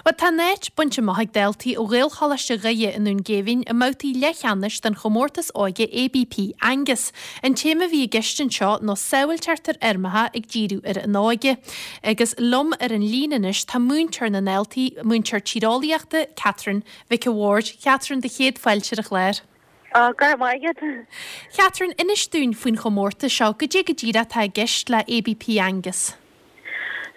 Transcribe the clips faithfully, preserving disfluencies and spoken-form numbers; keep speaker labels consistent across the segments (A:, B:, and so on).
A: Bhuel, tá a n-áit bainte amach ag daltaí ó Ghaelcholáiste Dhoire i nDún Géibhinn i mbabhtaí leathcheannais den chomórtas óige ABP Angus. An téama a bhí i gceist anseo ná sábháilteacht ar fheirmeacha ag díriú ar an óige. Agus liom ar an líne anois tá múinteoir na ndaltaí, múinteoir tíreolaíochta Catherine Mhic a' Bhaird. Catherine do chéad fáilte ar an chlár.
B: Á go raibh maith agat.
A: Catherine, inis dúinn faoin chomórtas seo, goidé go díreach atá i gceist le ABP Angus.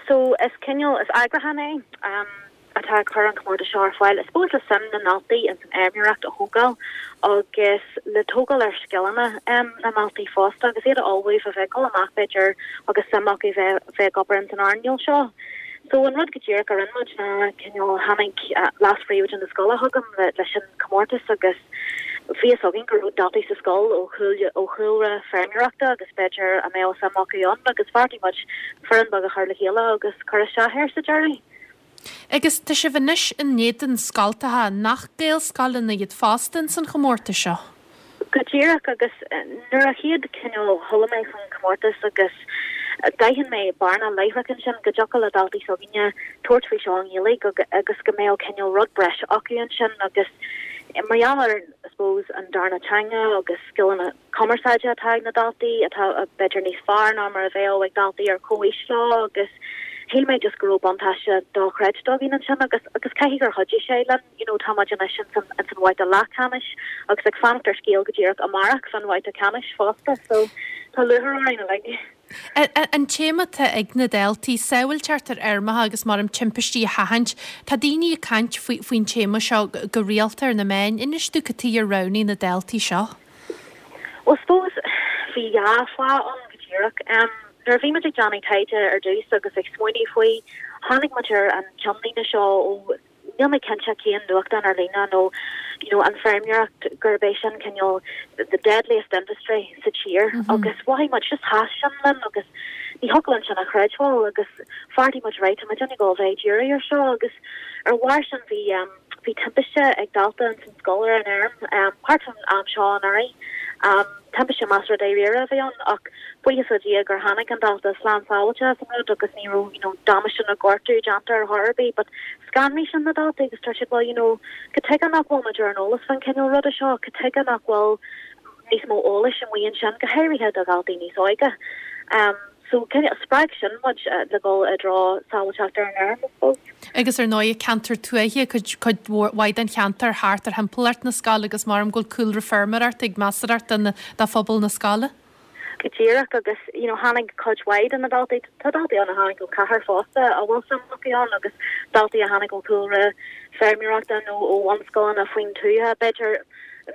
B: So is cineál is eagrúchán é um, atá ag cur an comórtas seo ar fáil. I suppose le suim na ndaltaí in san fheirmeoireacht a thógáil agus le tógáil ar scileanna um, na ndaltaí fosta agus iad a ullmhú a bheith dul amach b'fhéidir agus suim acu bheith bheith ag obair in san earnáil seo. So an rud go díreach a rinne muid ná cineál tháinig uh, leas-phríomhoide na scoile chugam le, leis an comórtas agus bhí a fhios againn go raibh daltaí sa scoil ó ó chúlra feirmeoireachta agus b'fhéidir a mbeadh suim acu ann agus bheartaigh muid foireann beag a chur le chéile agus cur isteach air sa deireadh.
A: Agus tá sibh anois in éadan scoltacha nach Gaelscoileanna iad fosta san chomórtas seo.
B: Go díreach agus nuair a chéad cineál chuala mé faoin comórtas agus d'aithin mé bearna láithreach ansin go dtiocfadh le daltaí s'againne tabhairt faoi seo i nGaeilge agus go mbeadh cineál rud breise acu ansin agus mar gheall ar I suppose an darna teanga agus scileanna cumarsáide atá ag na daltaí atá b'fhéidir níos fearr ná mar a bheadh ag daltaí ar comhaois leo agus shíl mé just go raibh buntáiste dochreidte againn ansin agus agus caithfidh gur chuidigh sé linn you know tá muid anois in san in san bhabhta leathcheannais agus ag fanacht ar scéal go díreach amárach fan bhabhta ceannais fosta so tá lúcháir orainn uilig.
A: An téama atá ag na daltaí sábháilteacht ar fheirmeacha agus mar am timpistí a sheachaint, Tá daoine ag caint faoin téama seo go rialta ar na meáin, inis dúinn cad chuige ar roghnaigh na daltaí seo.
B: Well suppose bhí dhá fháth ann go díreach. Um, nuair a bhí muid ag déanamh taighde ar dtús agus ag smaoineamh faoi tháinig muid ar an ceannlíne seo ó níl mé cinnte cén nuachtán ar líne nó you know, an feirmeoireacht gurb é sin cineál the deadliest industry sa tír mm -hmm. agus mhothaigh muid just sheas sin linn agus ní thiocfadh linn sin a chreidbheáil agus bheartaigh muid right muid ag gabháil bheith dírithe ar seo agus ar bharr sin bhí um, bhí timpiste ag dalta an san scoil ar an fheirm um, thart an am seo anuraidh um, timpiste measartha dáiríre a bhí ann ach buíochas le Dia gur tháinig an dalta slán sábháilte as an rud agus ní raibh you know, damáiste nó gortú déanta ar chor ar bith, but scanraigh sin na daltaí agus tá siad well you know, cad chuige nach bhfuil muid ar an eolas fan cineál ruda seo, cad chuige nach bhfuil níos mó eolais amuigh ansin go háirithe do dhaltaí níos óige. Um, so spreag sin muid uh, le dul i dtreo sábháilteacht ar an fheirm I suppose.
A: Agus ar ndóigh ceantar tuaithe cuid mhaith den cheantar thart ar thimpeallacht na scoile agus mar am go bhfuil cúlra feirmeoireachta ag measartha de phobal na scoile.
B: Go díreach agus you know, tháinig cuid mhaith de na daltaí tá daltaí ann a tháinig ó cathair fosta a bhfuil suim acu ann agus daltaí a tháinig ó chúlra feirmeoireachta nó ó bhunscoileanna faoin tuath b'fhéidir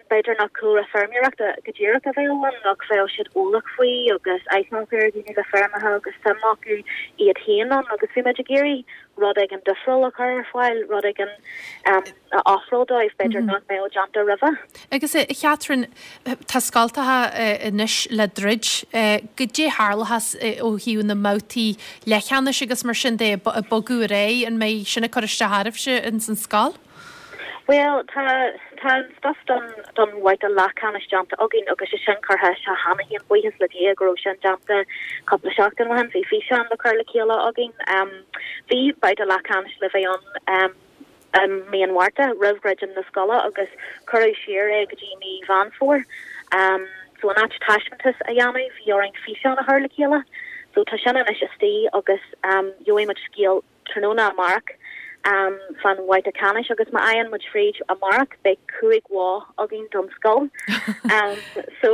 B: b'fhéidir nach cúlra feirmeoireachta go díreach a bheadh ann nach bheadh siad eolach faoi agus aithne ar dhaoine le feirmeacha agus suim acu iad féin ann agus bhí muid ag iarraidh rud éigin difriúil a chur ar fáil rud éigin um, a ofráil dóibh b'fhéidir mm -hmm. nach mbeadh déanta roimhe.
A: Agus a Chatherine tá scoltacha anois le druid goidé a tharlós ó thaobh na mbabhtaí leathcheannais agus mar sin de bogadh ar aghaidh an mbeidh sin ag cur isteach oraibhse in san scoil?
B: Well tá tá an stuff don don bhabhta leathcheannais déanta againn agus sé sin curtha isteach cheana féin buíochas le Dia go raibh sin déanta cúpla seachtain ó shin bhí físeán le cur le chéile againn um, bhí babhta leathcheannais le bheith ann um, um, mí an Mhárta roimh dhruidim na scoile agus cuireadh siar é go dtí mí Mheán Fómhair. Um, so an áit taispeántas a dhéanamh bhí orainn físeán a chur le chéile. So tá sin anois istigh agus um, gheobhaidh muid scéal tráthnóna amárach um, fan bhabhta ceannais agus má fhaigheann muid fríd amárach beidh cúig mhodh againn don scoil. um, so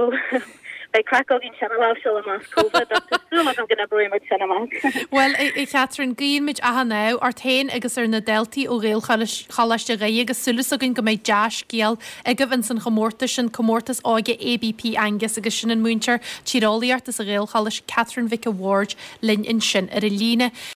B: beidh craic againn sin lá seo amach COVID go n-oibreoidh sin amach.
A: Well a Chatherine guímid achan ádh ort féin agus ar na daltaí ó Ghaelcholáiste Dhoire agus súil againn go mbeidh dea-scéal agaibh in san chomórtas sin comórtas óige ABP Angus agus sin an múinteoir tíreolaíochta sa Ghaelcholáiste Catherine Mhic a' Bhaird linn ansin ar an líne.